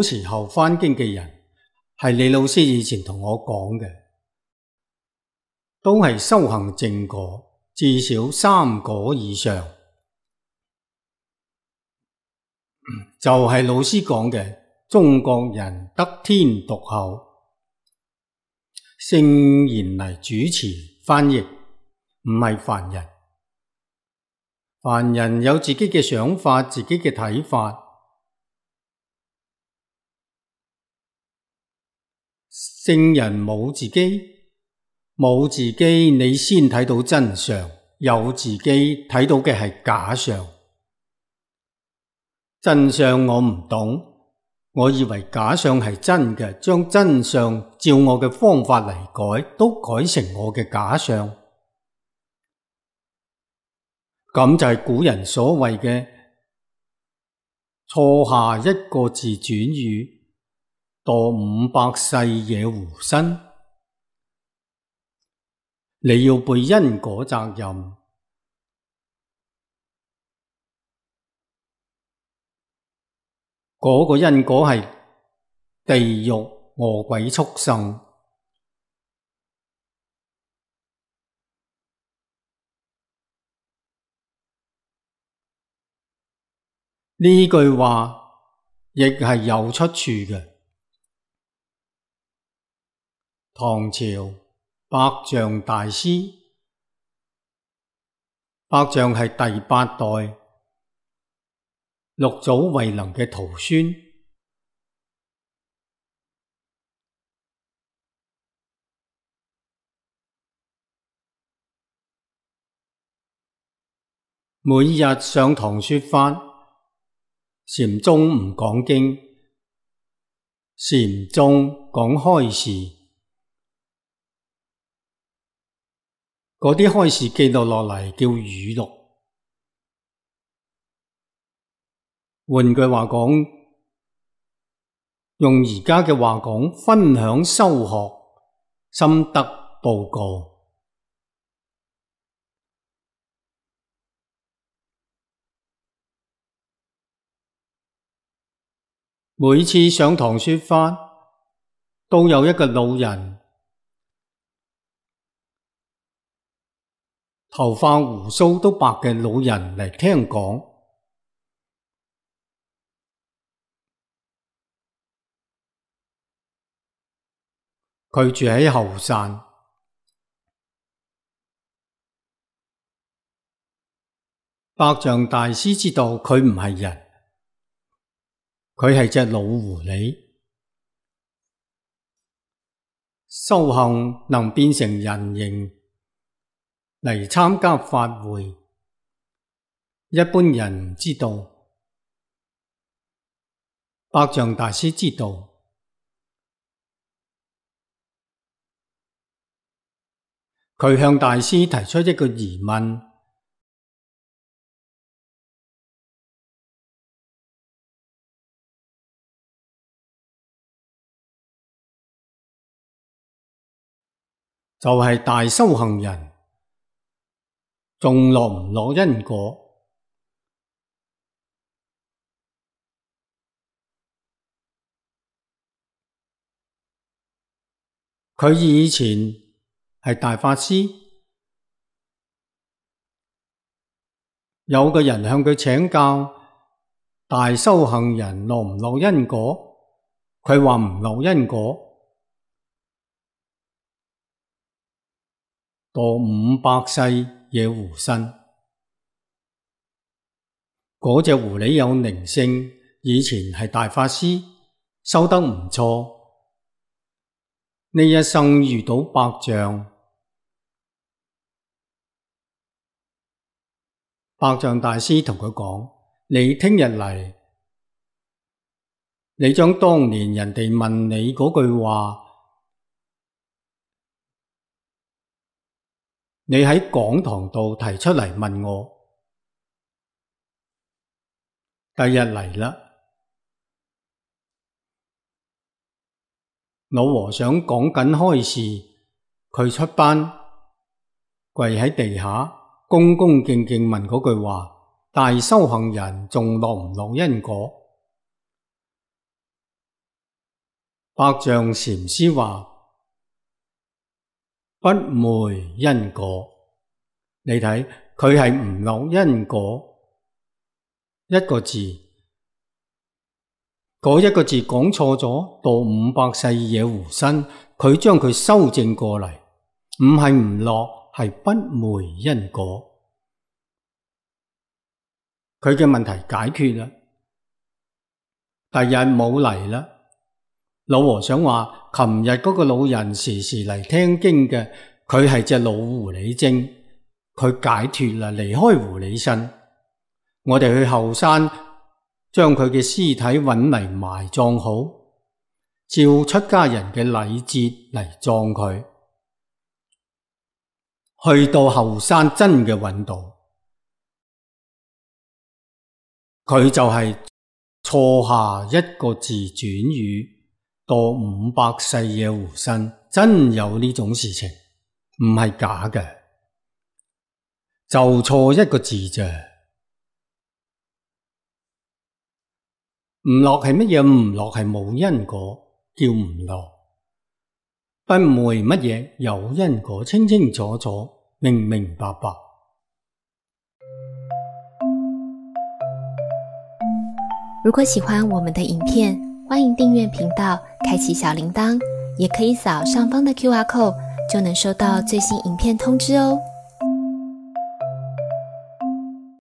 古時候翻經嘅人，係李老師以前同我講嘅，都係修行正果，至少3果以上。就係老師講嘅，中國人得天獨厚，聖賢嚟主持翻譯，唔係凡人。凡人有自己嘅想法，自己嘅睇法。聖人冇自己，你先睇到真相，有自己睇到嘅係假相。真相我唔懂，我以為假相係真嘅，將真相照我嘅方法嚟改，都改成我嘅假相。咁就係古人所謂嘅錯下一個字轉語，墮500世惹狐身。你要背因果責任，嗰個因果係地獄餓鬼畜生。呢句話亦係有出處嘅。唐朝百丈大師，百丈係第8代六祖慧能嘅徒孫。每日上堂說法，禪宗唔講經，禪宗講開示，嗰啲開示記錄落嚟叫語錄。換句話講，用而家嘅話講，分享修學心得報告。每次上堂說法，都有一個老人，頭髮鬍鬚都白嘅老人嚟聽講。佢住喺後山。百丈大師知道佢唔係人，佢係隻老狐狸。修行能變成人形嚟參加法會，一般人唔知道。百丈大師知道。佢向大師提出一個疑問，就係大修行人仲落唔落因果？佢以前係大法師，有個人向佢請教，大修行人落唔落因果？佢話唔落因果，墮500世惹狐身。嗰隻狐狸有靈性，以前係大法師，修得唔錯。呢一生遇到百丈，百丈大師同佢講：你聽日嚟，你將當年人哋問你嗰句話，你喺講堂度提出嚟問我。第日嚟啦，老和尚講緊開示，佢出班跪喺地下，恭恭敬敬問嗰句話：大修行人仲落唔落因果？百丈禪師話不昧因果，你睇佢係唔落因果一個字，嗰一個字講錯咗，到500世野狐身，佢將佢修正過嚟，唔係唔落，係不昧因果。佢嘅問題解決啦，第日冇嚟啦。老和尚話琴日嗰個老人時時嚟聽經嘅，佢係隻老狐狸精，佢解脫啦，離開狐狸身。我哋去後山將佢嘅屍體揾嚟埋葬好，照出家人嘅禮節嚟葬佢。去到後山真嘅揾到，佢就係錯下一個字轉語，墮500世野狐身，真有呢種事情，唔係假嘅，就錯一個字啫。唔落係乜嘢？唔落係冇因果，叫唔落。不昧乜嘢？有因果，清清楚楚，明明白白。如果喜歡我們的影片，歡迎訂閱頻道，開啟小鈴鐺，也可以掃上方的QR code，就能收到最新影片通知哦。